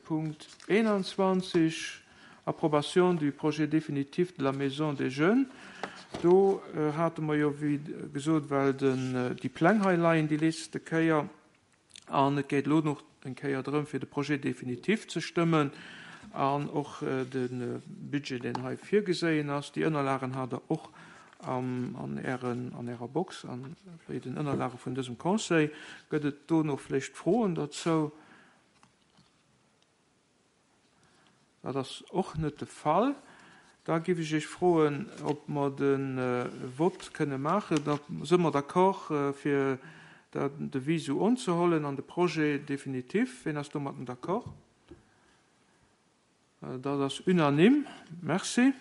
Punkt 21, Approbation du projet définitif de la Maison des Jeunes. Do hate mer jo, wéi gesot, well den, déi Pläng hei leien déi letzte Kéier, an et geet elo nach eng Kéier drëm, fir de Projet définitif ze stëmmen an och de Budget, deen hei virgeséien ass. Déi Ënnerlagen hat Der och an Ären, an Ärer Box an bei den Ënnerlage vun dësem Conseil. Gëtt et do nach vläicht Froen derzou? Dat ass och net de Fall. Da géif ech Iech froen, ob mer de Vott kënne maachen. Da si mer d'accord, fir den Devis esou unzehollen an de Projet définitif. Ween ass domatten d'accord? Dat ass unanime. Merci.